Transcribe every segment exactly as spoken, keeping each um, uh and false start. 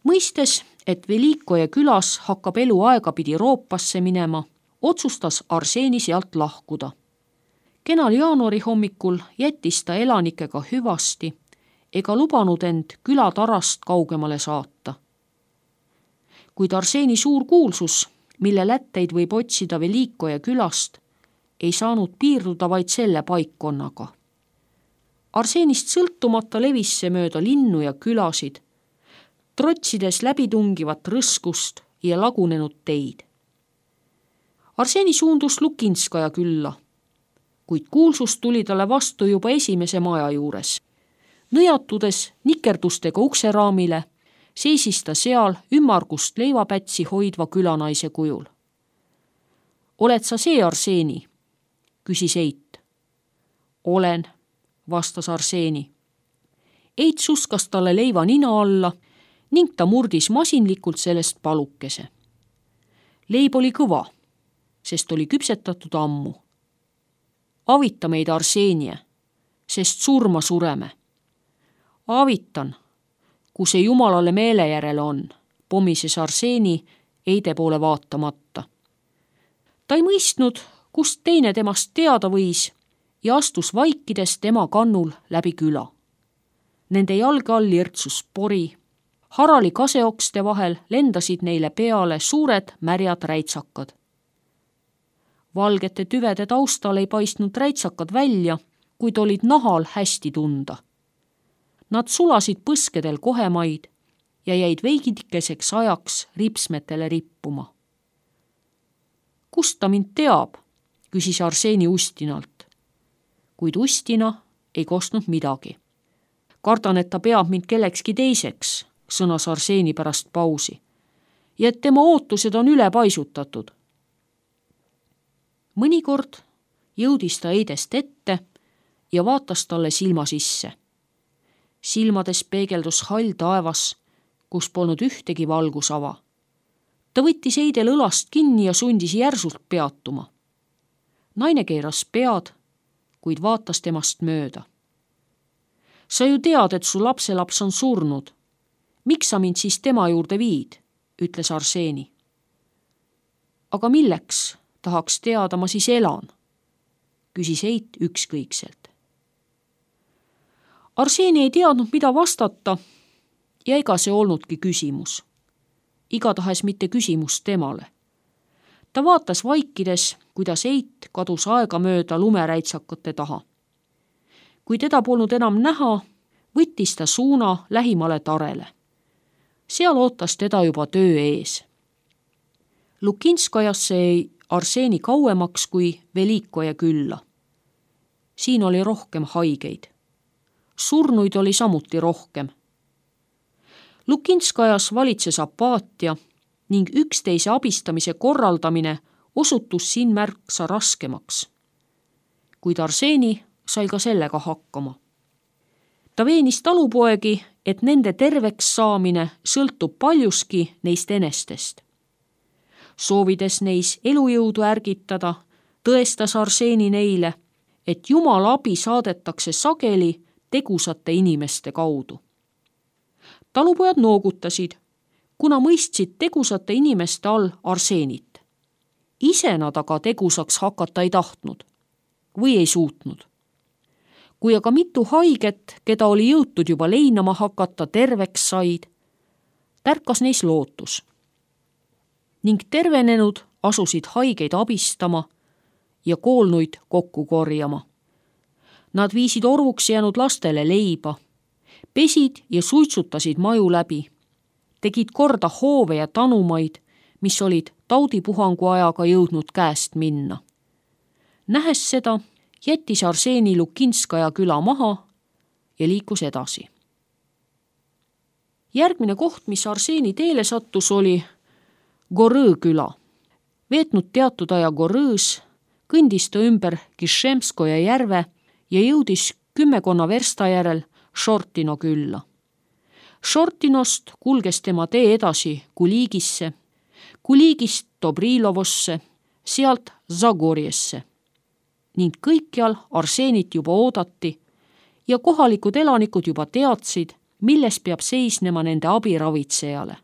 Mõistes, et Velikoje külas hakkab elu aegapidi roopasse minema, otsustas Arseni sealt lahkuda. Kenal jaanuari hommikul jättis ta elanikega hüvasti ega lubanud end külatarast kaugemale saata. Kuid Arseni suur kuulsus, mille lätteid võib otsida Velikoje külast, ei saanud piirduda vaid selle paikkonnaga. Arsenist sõltumata levis see mööda linnu ja külasid, trotsides läbitungivat rõskust ja lagunenud teid. Arseni suundus Lukinskaja külla, kuid kuulsus tuli talle vastu juba esimese maja juures. Nõjatudes nikerdustega ukseraamile, seisis ta seal ümmargust leivapätsi hoidva külanaise kujul. Oled sa see, Arseni? Küsis Eit. Olen, vastas Arseni. Eit suskas talle leiva nina alla ning ta murdis masinlikult sellest palukese. Leib oli kõva, sest oli küpsetatud ammu. Avita meid, Arsenie, sest surma sureme. Avitan, kui see jumalale meele järele on, pomises Arseni Eide poole vaatamata. Ta ei mõistnud, kust teine temast teada võis ja astus vaikides tema kannul läbi küla. Nende jalge all irtsus pori, harali kaseokste vahel lendasid neile peale suured märjad räitsakad. Valgete tüvede taustal ei paistnud räitsakad välja, kuid olid nahal hästi tunda. Nad sulasid põskedel kohemaid ja jäid veidikeseks ajaks ripsmetele rippuma. Kust ta mind teab, küsis Arseni Ustinalt, kuid Ustina ei kostnud midagi. Kardan, et ta peab mind kellekski teiseks, sõnas Arseni pärast pausi, ja et tema ootused on üle paisutatud. Mõnikord jõudis ta Eidest ette ja vaatas talle silma sisse. Silmades peegeldus hall taevas, kus polnud ühtegi valgusava. Ta võttis Eidel õlast kinni ja sundis järsult peatuma. Naine keeras pead, kuid vaatas temast mööda. Sa ju tead, et su lapselaps on surnud. Miks sa mind siis tema juurde viid, ütles Arseni. Aga milleks, tahaks teada, ma siis elan, küsis Eit ükskõikselt. Arseni ei teadnud, mida vastata ja ega see olnudki küsimus. Igatahes mitte küsimus temale. Ta vaatas vaikides, kuidas Eit kadus aega mööda lumeräitsakate taha. Kui teda polnud enam näha, võttis ta suuna lähimale tarele. Seal ootas teda juba töö ees. Lukinskajasse ei Arseni kauemaks kui Velikoje külla. Siin oli rohkem haigeid. Surnuid oli samuti rohkem. Lukinskajas valitses apaatia ning üksteise abistamise korraldamine osutus siin märksa raskemaks. Kuid Arseni sai ka sellega hakkama. Ta veenis talupoegi, et nende terveks saamine sõltub paljuski neist enestest. Soovides neis elujõudu ärgitada, tõestas Arseni neile, et Jumala abi saadetakse sageli tegusate inimeste kaudu. Talupojad noogutasid, kuna mõistsid tegusate inimeste all Arsenit. Ise nad aga tegusaks hakata ei tahtnud või ei suutnud. Kui aga mitu haiget, keda oli jõutud juba leinama hakata, terveks said, tärkas neis lootus. Ning tervenenud asusid haigeid abistama ja koolnuid kokku korjama. Nad viisid orvuks jäänud lastele leiba, pesid ja suitsutasid maju läbi, tegid korda hoove ja tanumaid, mis olid taudipuhangu ajaga jõudnud käest minna. Nähes seda, jättis Arseni Lukinskaja küla maha ja liikus edasi. Järgmine koht, mis Arseni teele sattus, oli Gorõ küla. Veetnud teatud aja Gorõs, kõndis ta ümber Kišemskoja järve ja jõudis kümmekonna versta järel Šortino külla. Šortinost kulges tema tee edasi Kuligisse, Kuligist Dobrilovosse, sealt Zagorjesse. Ning kõikjal Arsenit juba oodati ja kohalikud elanikud juba teadsid, milles peab seisnema nende abiravitsejale.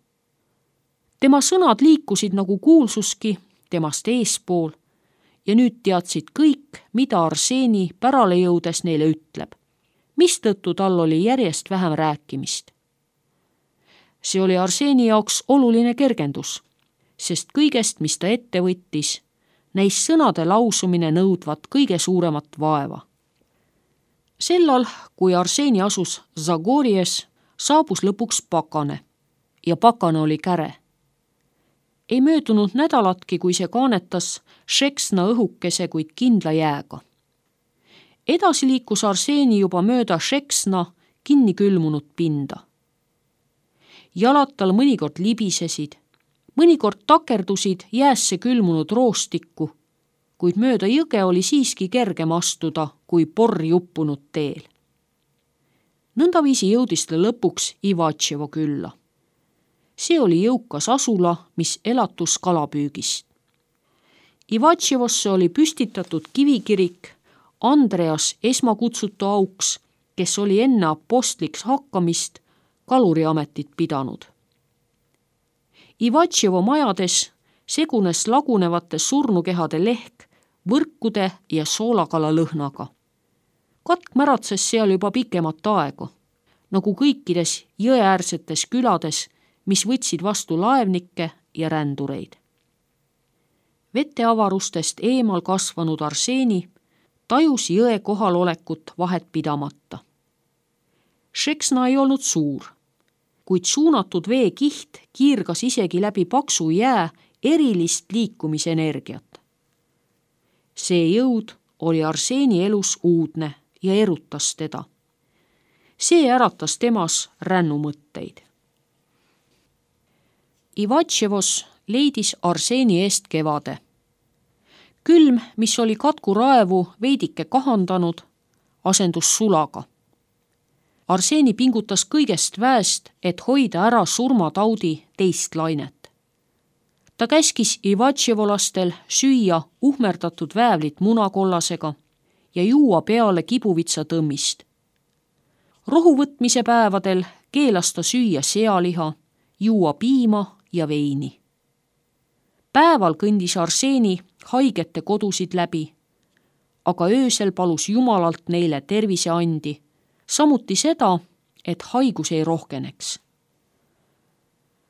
Tema sõnad liikusid nagu kuulsuski temast eespool ja nüüd teadsid kõik, mida Arseeni pärale jõudes neile ütleb, mistõttu tal oli järjest vähem rääkimist. See oli Arseeni jaoks oluline kergendus, sest kõigest, mis ta ette võttis, näis sõnade lausumine nõudvat kõige suuremat vaeva. Sellal, kui Arseeni asus Zagorjes, saabus lõpuks pakane ja pakane oli käre. Ei möödunud nädalatki, kui see kaanetas Šeksna õhukese, kuid kindla jääga. Edasi liikus Arseeni juba mööda Šeksna kinni külmunud pinda. Jalad tal mõnikord libisesid, mõnikord takerdusid jäässe külmunud roostikku, kuid mööda jõge oli siiski kergem astuda kui porri uppunud teel. Nõndaviisi jõudis ta lõpuks Ivatševo külla. See oli jõukas asula, mis elatus kalapüügist. Ivatševosse oli püstitatud kivikirik Andreas esmakutsutu auks, kes oli enne apostliks hakkamist kaluriametit pidanud. Ivatševo majades segunes lagunevate surnukehade lehk võrkude ja soolakala lõhnaga. Katk märatses seal juba pikemat aega, nagu kõikides jõeäärsetes külades, mis võtsid vastu laevnikke ja rändureid. Veteavarustest eemal kasvanud Arseeni tajus jõe kohalolekut vahet pidamata. Šeksna ei olnud suur, kuid suunatud veekiht kiirgas isegi läbi paksu jää erilist liikumisenergiat. See jõud oli Arseeni elus uudne ja erutas teda. See äratas temas rännumõtteid. Ivatševos leidis Arseeni eest kevade. Külm, mis oli katku raevu veidike kahandanud, asendus sulaga. Arseeni pingutas kõigest väest, et hoida ära surmataudi teist lainet. Ta käskis Ivatševolastel süüa uhmerdatud väävlit munakollasega ja juua peale kibuvitsa tõmmist. Rohuvõtmise päevadel keelas ta süüa sealiha, juua piima ja veini. Päeval kõndis Arseeni haigete kodusid läbi, aga öösel palus Jumalalt neile terviseandi, samuti seda, et haigus ei rohkeneks.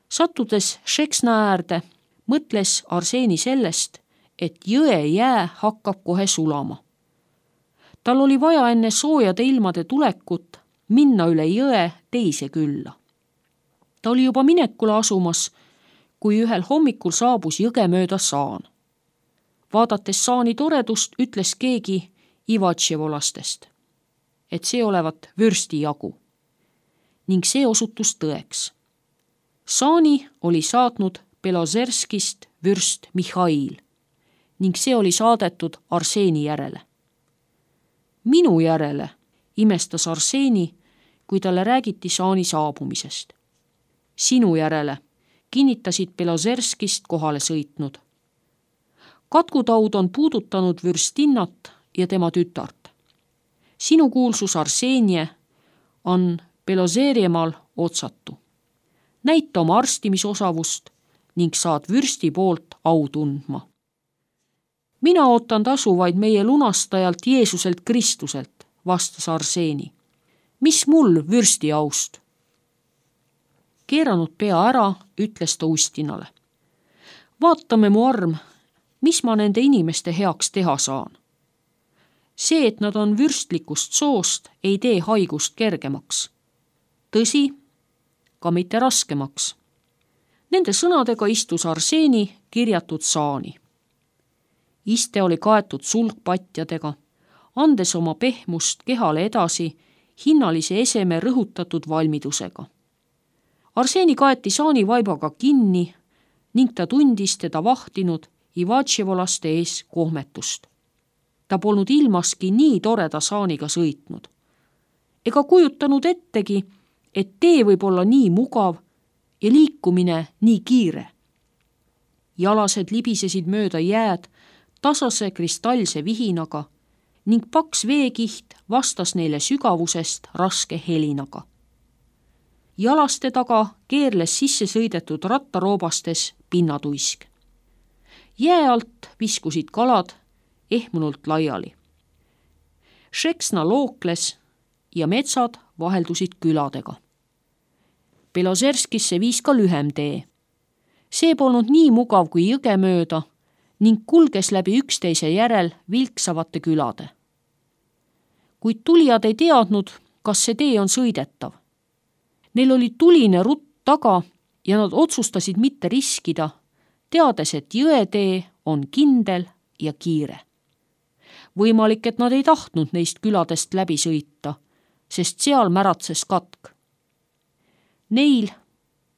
Sattudes Šeksna äärde, mõtles Arseeni sellest, et jõe jää hakkab kohe sulama. Tal oli vaja enne soojade ilmade tulekut minna üle jõe teise külla. Ta oli juba minekule asumas, kui ühel hommikul saabus jõge mööda saan. Vaadates saani toredust, ütles keegi Ivatševolastest, et see olevat vürsti jagu. Ning see osutus tõeks. Saani oli saatnud Belozerskist vürst Mihhail ning see oli saadetud Arseeni järele. Minu järele imestas Arseeni, kui talle räägiti saani saabumisest. Sinu järele kinnitasid Belozerskist kohale sõitnud. Katkutaud on puudutanud vürstinnat ja tema tütart. Sinu kuulsus Arseenie on Belozeriemaal otsatu. Näita oma arstimisosavust ning saad vürsti poolt au tundma. Mina ootan tasu vaid meie lunastajalt Jeesuselt Kristuselt, vastas Arseeni. Mis mul vürsti aust? Keeranud pea ära, ütles ta Ustinale. Vaatame, mu arm, mis ma nende inimeste heaks teha saan. See, et nad on vürstlikust soost, ei tee haigust kergemaks. Tõsi, ka mitte raskemaks. Nende sõnadega istus Arseeni kirjatud saani. Iste oli kaetud sulgpatjadega, andes oma pehmust kehale edasi hinnalise eseme rõhutatud valmidusega. Arseeni kaeti saani vaibaga kinni ning ta tundis teda vahtinud Ivatševolaste ees kohmetust. Ta polnud ilmaski nii toreda saaniga sõitnud. Ega kujutanud ettegi, et tee võib olla nii mugav ja liikumine nii kiire. Jalased libisesid mööda jääd tasase kristallse vihinaga ning paks veekiht vastas neile sügavusest raske helinaga. Jalaste taga keerles sisse sõidetud rattaroobastes pinnatuisk. Jää alt viskusid kalad ehmunult laiali. Šeksna lookles ja metsad vaheldusid küladega. Belozerskisse viis ka lühem tee. See polnud nii mugav kui jõge mööda ning kulges läbi üksteise järel vilksavate külade. Kuid tulijad ei teadnud, kas see tee on sõidetav. Neil oli tuline rutt taga ja nad otsustasid mitte riskida, teades, et jõetee on kindel ja kiire. Võimalik, et nad ei tahtnud neist küladest läbi sõita, sest seal märatses katk. Neil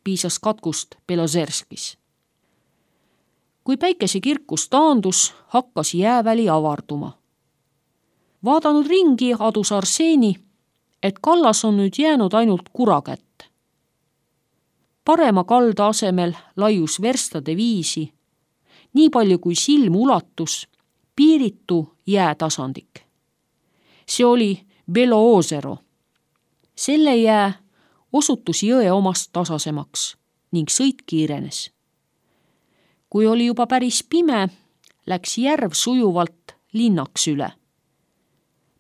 piisas katkust Belozerskis. Kui päikese kirkus taandus, hakkas jääväli avarduma. Vaadanud ringi adus Arseeni, et kallas on nüüd jäänud ainult kura kätte. Parema kalda asemel laius verstade viisi, nii palju kui silm ulatus, piiritu jäätasandik. See oli Beloozero. Selle jää osutus jõe omast tasasemaks ning sõit kiirenes. Kui oli juba päris pime, läks järv sujuvalt linnaks üle.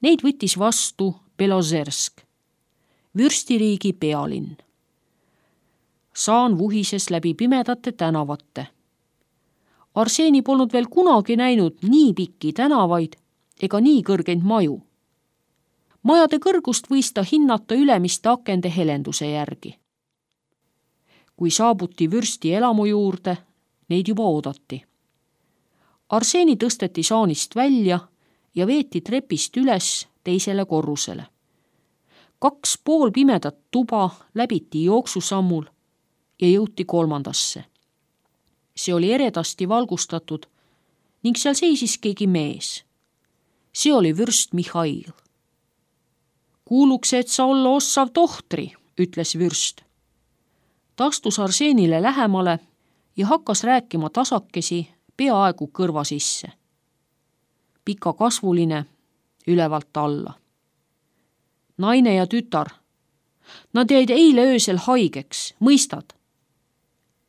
Neid võttis vastu Belozersk, vürstiriigi pealinn. Saan vuhises läbi pimedate tänavate. Arseeni polnud veel kunagi näinud nii pikki tänavaid ega nii kõrgeid maju. Majade kõrgust võis ta hinnata ülemiste akende helenduse järgi. Kui saabuti vürsti elamu juurde, neid juba oodati. Arseeni tõsteti saanist välja ja veeti trepist üles teisele korrusele. Kaks pool pimedat tuba läbiti jooksusammul ja jõuti kolmandasse. See oli eredasti valgustatud ning seal seisis keegi mees. See oli vürst Mihhail. Kuuluks, et sa olla ossav tohtri, ütles vürst. Ta astus Arseenile lähemale ja hakkas rääkima tasakesi peaaegu kõrva sisse. Pikakasvuline, ülevalt alla. Naine ja tütar. Nad jäid eile öösel haigeks, mõistad?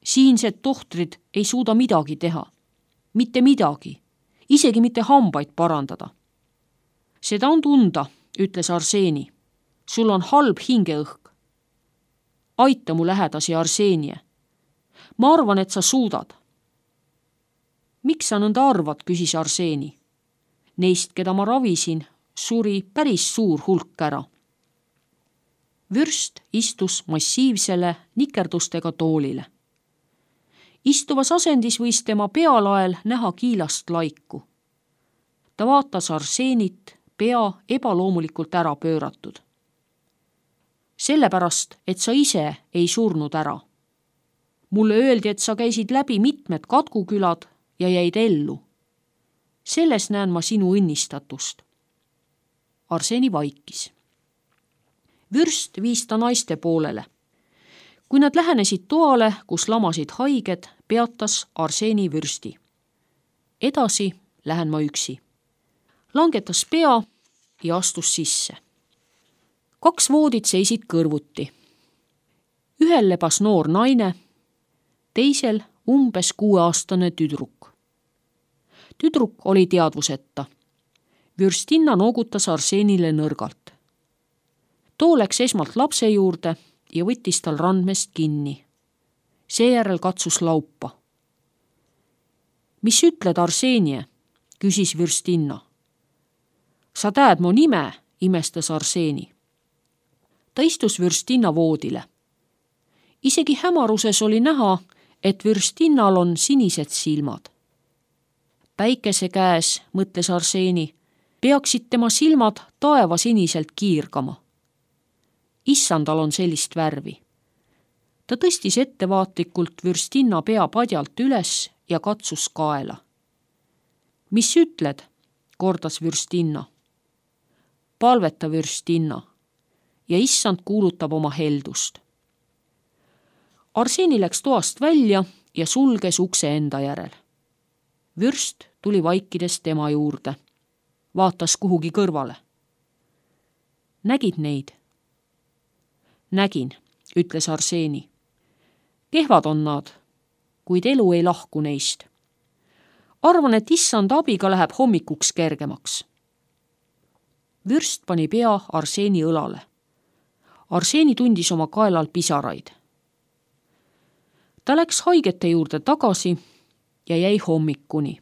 Siinsed tohtrid ei suuda midagi teha. Mitte midagi, isegi mitte hambaid parandada. Seda on tunda, ütles Arseeni. Sul on halb hingeõhk. Aita mu lähedasi, Arseenie. Ma arvan, et sa suudad. Miks sa nõnda arvad, küsis Arseeni. Neist, keda ma ravisin, suri päris suur hulk ära. Vürst istus massiivsele nikerdustega toolile. Istuvas asendis võis tema pealael näha kiilast laiku. Ta vaatas Arseenit, pea ebaloomulikult ära pööratud. Sellepärast, et sa ise ei surnud ära. Mulle öeldi, et sa käisid läbi mitmed katkukülad ja jäid ellu. Selles näen ma sinu õnnistatust. Arseeni vaikis. Vürst viis ta naiste poolele. Kui nad lähenesid toale, kus lamasid haiged, peatas Arseeni vürsti. Edasi lähen ma üksi. Langetas pea ja astus sisse. Kaks voodid seisid kõrvuti. Ühel lebas noor naine, teisel umbes kuueaastane tüdruk. Tüdruk oli teadvuseta. Vürstinna noogutas Arseenile nõrgalt. Too läks esmalt lapse juurde ja võttis tal randmest kinni. Seejärel katsus laupa. Mis ütled, Arseenie? Küsis Vürstinna. Sa tead mu nime, imestas Arseeni. Ta istus Vürstinna voodile. Isegi hämaruses oli näha, et Vürstinnal on sinised silmad. Päikese käes, mõtles Arseeni, peaksid tema silmad taevasiniselt kiirgama. Issandal on sellist värvi. Ta tõstis ettevaatlikult Vürstinna pea padjalt üles ja katsus kaela. Mis ütled? Kordas Vürstinna. Palveta, Vürstinna, ja issand kuulutab oma heldust. Arseeni läks toast välja ja sulges ukse enda järel. Vürst tuli vaikides tema juurde. Vaatas kuhugi kõrvale. Nägid neid? Nägin, ütles Arseeni. Kehvad on nad, kuid elu ei lahku neist. Arvan, et issand abiga läheb hommikuks kergemaks. Vürst pani pea Arseeni õlale. Arseeni tundis oma kaelal pisaraid. Ta läks haigete juurde tagasi ja jäi hommikuni.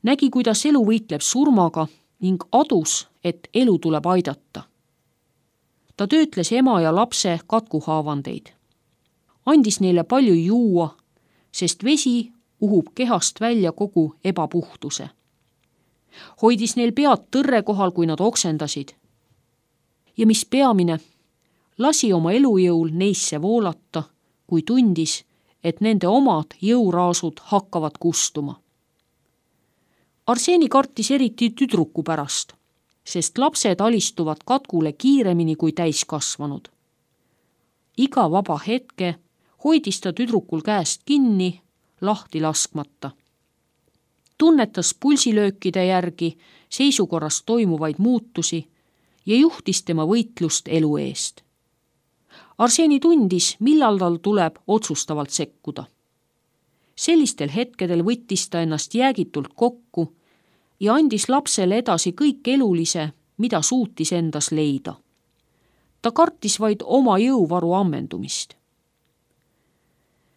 Nägi, kuidas elu võitleb surmaga ning adus, et elu tuleb aidata. Ta töötles ema ja lapse katkuhaavandeid. Andis neile palju juua, sest vesi uhub kehast välja kogu ebapuhtuse. Hoidis neil pead tõrre kohal, kui nad oksendasid. Ja mis peamine, lasi oma elujõul neisse voolata, kui tundis, et nende omad jõuraasud hakkavad kustuma. Arseeni kartis eriti tüdruku pärast, sest lapsed alistuvad katkule kiiremini kui täiskasvanud. Iga vaba hetke hoidis ta tüdrukul käest kinni, lahti laskmata. Tunnetas pulsilöökide järgi seisukorras toimuvaid muutusi ja juhtis tema võitlust elu eest. Arseeni tundis, millal tal tuleb otsustavalt sekkuda. Sellistel hetkedel võttis ta ennast jäägitult kokku ja andis lapsele edasi kõik elulise, mida suutis endas leida. Ta kartis vaid oma jõuvaru ammendumist.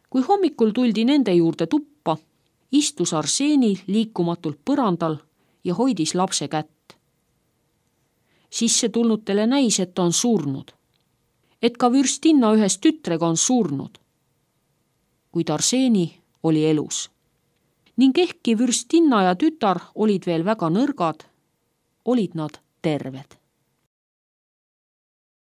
Kui hommikul tuldi nende juurde tuppa, istus Arseeni liikumatult põrandal ja hoidis lapse kätt. Sisse tulnutele näis, et ta on surnud, et ka vürstinna ühes tütrega on surnud, kuid Arseeni oli elus. Ning ehkki vürstinna ja tütar olid veel väga nõrgad, olid nad terved.